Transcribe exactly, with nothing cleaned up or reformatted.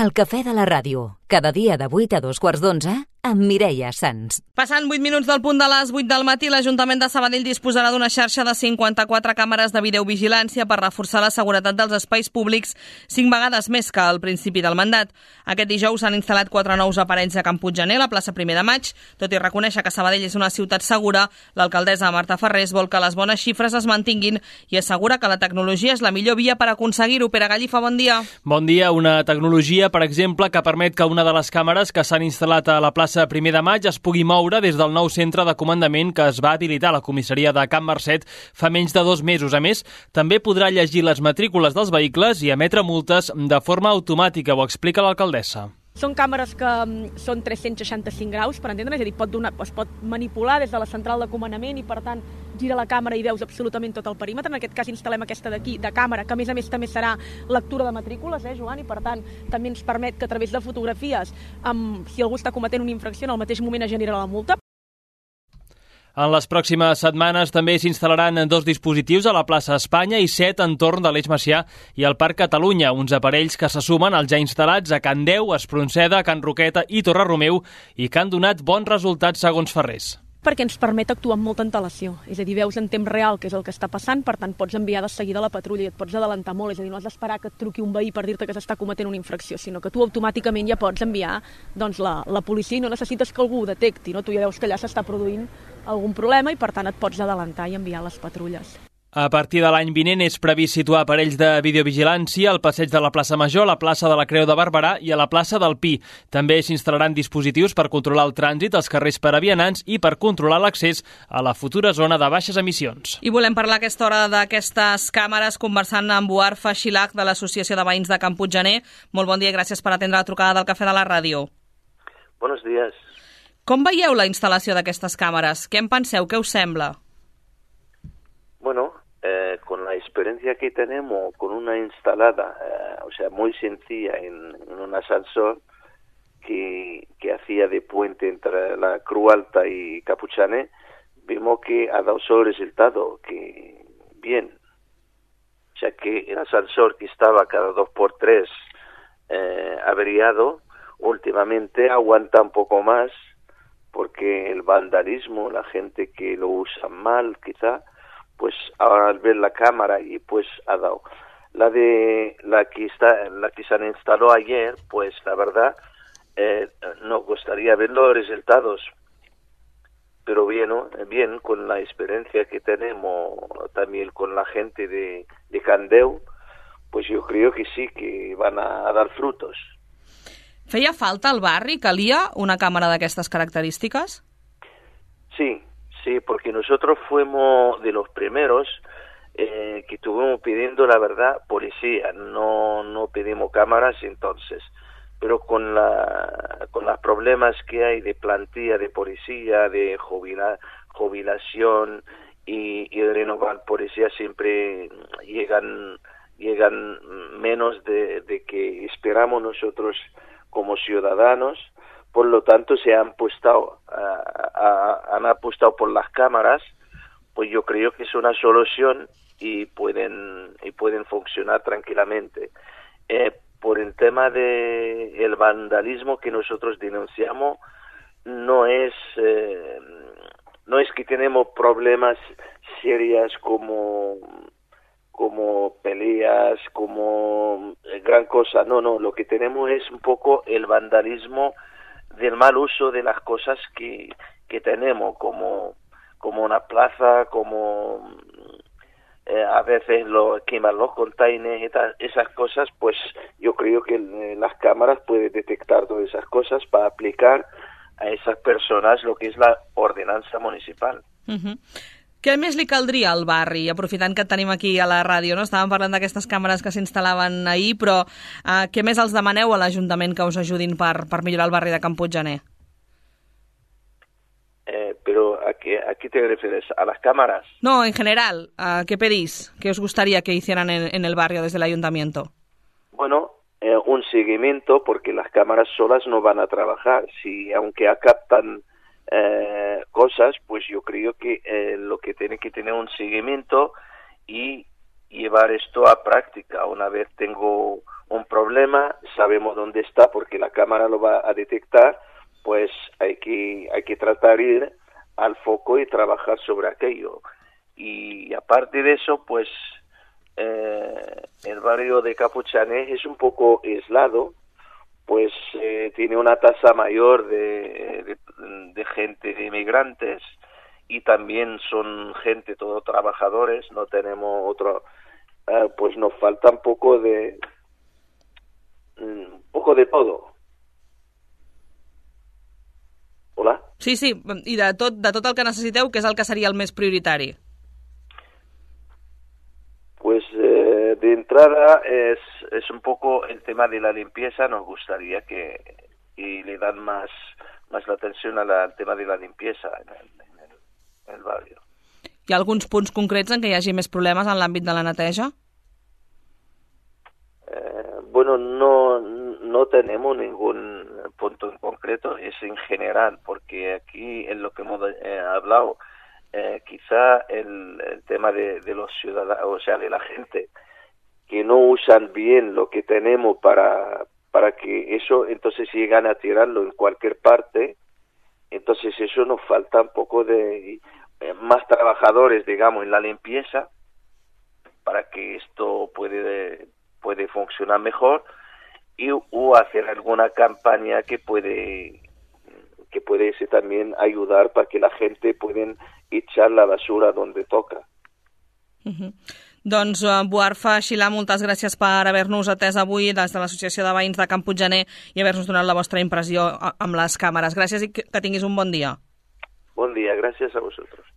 El cafè de la ràdio, cada dia de vuit a dos quarts d'onze, amb Mireia Sans. Passant vuit minuts del punt de les vuit del matí, l'Ajuntament de Sabadell disposarà d'una xarxa de cinquanta-quatre càmeres de videovigilància per reforçar la seguretat dels espais públics cinc vegades més que al principi del mandat. Aquest dijous s'han instal·lat quatre nous aparells a Can Puiggener, a la plaça Primer de Maig. Tot i reconèixer que Sabadell és una ciutat segura, l'alcaldessa Marta Ferrés vol que les bones xifres es mantinguin i assegura que la tecnologia és la millor via per aconseguir-ho. Pere Gallifa, bon dia. Bon dia. Una tecnologia, per exemple, que permet que una de les càmeres que s'han instal·lat a la plaça Primer de Maig es pugui moure des del nou centre de comandament que es va habilitar a la comissaria de Can Marcet fa menys de dos mesos. A més, també podrà llegir les matrícules dels vehicles i emetre multes de forma automàtica, ho explica l'alcaldessa. Són càmeres que són tres-cents seixanta-cinc graus, per entendre, és a dir, pot donar, es pot manipular des de la central de comandament i, per tant, gira la càmera i veus absolutament tot el perímetre. En aquest cas instal·lem aquesta d'aquí, de càmera, que a més a més també serà lectura de matrícules, eh, Joan? I, per tant, també ens permet que a través de fotografies, amb, si algú està cometent una infracció, en el mateix moment es genera la multa. En les pròximes setmanes també s'instal·laran dos dispositius a la plaça Espanya i set entorn de l'Eix Macià i al Parc Catalunya, uns aparells que se sumen als ja instal·lats a Can Deu, Espronceda, Can Roqueta i Torre Romeu i que han donat bons resultats segons Ferrés. Perquè ens permet actuar amb molta antelació, és a dir, veus en temps real què és el que està passant, per tant pots enviar de seguida la patrulla i et pots adelantar molt, és a dir, no has d'esperar que et truqui un veí per dir-te que s'està cometent una infracció, sinó que tu automàticament ja pots enviar doncs, la, la policia i no necessites que algú ho detecti, no? Tu ja veus que allà s'està produint algun problema i per tant et pots adelantar i enviar les patrulles. A partir de l'any vinent és previst situar aparells de videovigilància al passeig de la plaça Major, a la plaça de la Creu de Barberà i a la plaça del Pi. També s'instal·laran dispositius per controlar el trànsit als carrers per a vianants i per controlar l'accés a la futura zona de baixes emissions. I volem parlar a aquesta hora d'aquestes càmeres conversant amb Buar Faxilac de l'Associació de Veïns de Can Puiggener. Molt bon dia i gràcies per atendre la trucada del Cafè de la Ràdio. Buenos días. Com veieu la instal·lació d'aquestes càmeres? Què en penseu? Què us sembla? Bueno, eh, con la experiencia que tenemos con una instalada, eh, o sea, muy sencilla en, en un ascensor que, que hacía de puente entre la Cruz Alta y Capuchané, vimos que ha dado su resultado, que bien. O sea, que el ascensor que estaba cada dos por tres eh, averiado, últimamente aguanta un poco más, porque el vandalismo, la gente que lo usa mal, quizá, pues ahora al ver la cámara y pues ha dado. La de la que está, la que se instaló ayer, pues la verdad eh, nos gustaría ver los resultados, pero bien, ¿no? Bien, con la experiencia que tenemos también con la gente de, de Can Deu, pues yo creo que sí, que van a dar frutos. Feia falta al barri? Calia una càmera d'aquestes característiques? Sí, sí, porque nosotros fuimos de los primeros eh, que estuvimos pidiendo, la verdad, policía, no no pedimos cámaras entonces, pero con la con los problemas que hay de plantilla de policía, de jubila, jubilación y, y de renovar policía siempre llegan llegan menos de, de que esperamos nosotros como ciudadanos. Por lo tanto, se han apostado, uh, uh, han apostado por las cámaras, pues yo creo que es una solución y pueden y pueden funcionar tranquilamente. Eh, por el tema de el vandalismo que nosotros denunciamos, no es eh, no es que tenemos problemas serios como como peleas, como gran cosa, no, no, lo que tenemos es un poco el vandalismo del mal uso de las cosas que, que tenemos, como, como una plaza, como eh, a veces lo, queman los containers y tal, esas cosas, pues yo creo que eh, las cámaras pueden detectar todas esas cosas para aplicar a esas personas lo que es la ordenança municipal. Uh-huh. Què més li caldria al barri, aprofitant que et tenim aquí a la ràdio, no? Estàvem parlant d'aquestes càmeres que s'instal·laven ahir, però eh, què més els demaneu a l'Ajuntament que us ajudin per, per millorar el barri de Can Puiggener? Eh, pero ¿a qué, ¿a qué te refieres? ¿A las cámaras? No, en general, ¿a qué pedís? ¿Qué os gustaría que hicieran en, en el barrio desde el Ayuntamiento? Bueno, eh, un seguimiento, porque las cámaras solas no van a trabajar. Si aunque captan Eh, cosas, pues yo creo que eh, lo que tiene que tener un seguimiento y, llevar esto a práctica. Una vez tengo un problema, sabemos dónde está porque la cámara lo va a detectar, pues hay que, hay que tratar de ir al foco y trabajar sobre aquello. Y aparte de eso, pues eh, el barrio de Capuchanes es un poco aislado, pues eh, tiene una tasa mayor de, de, de gente, de inmigrantes, y también son gente, todos trabajadores, no tenemos otro, eh, pues nos falta un poco de, un poco de todo. Hola? Sí, sí, i de tot, de tot el que necessiteu, què és el que seria el més prioritari? Pues eh, de entrada es, es un poco el tema de la limpieza. Nos gustaría que y le dan más, más la atención a la, al tema de la limpieza en el, en, el, en el barrio. Hi ha alguns punts concrets en què hi hagi més problemes en l'àmbit de la neteja? Eh, bueno, no, no tenemos ningún punto en concreto, es en general, porque aquí en lo que hemos eh, hablado, eh, quizá el, el tema de, de los ciudadanos, o sea, de la gente que no usan bien lo que tenemos para, para que eso, entonces llegan a tirarlo en cualquier parte, entonces eso nos falta un poco de eh, más trabajadores, digamos, en la limpieza, para que esto puede, puede funcionar mejor, y o hacer alguna campaña que puede que puede ese también ayudar para que la gente pueda echar la basura donde toca. Uh-huh. Doncs, uh, Buarfa Xilà, moltes gràcies per haver-nos atès avui des de l'Associació de Veïns de Can Puiggener i haver-nos donat la vostra impressió amb les càmeres. Gràcies i que tinguis un bon dia. Bon dia, gràcies a vosaltres.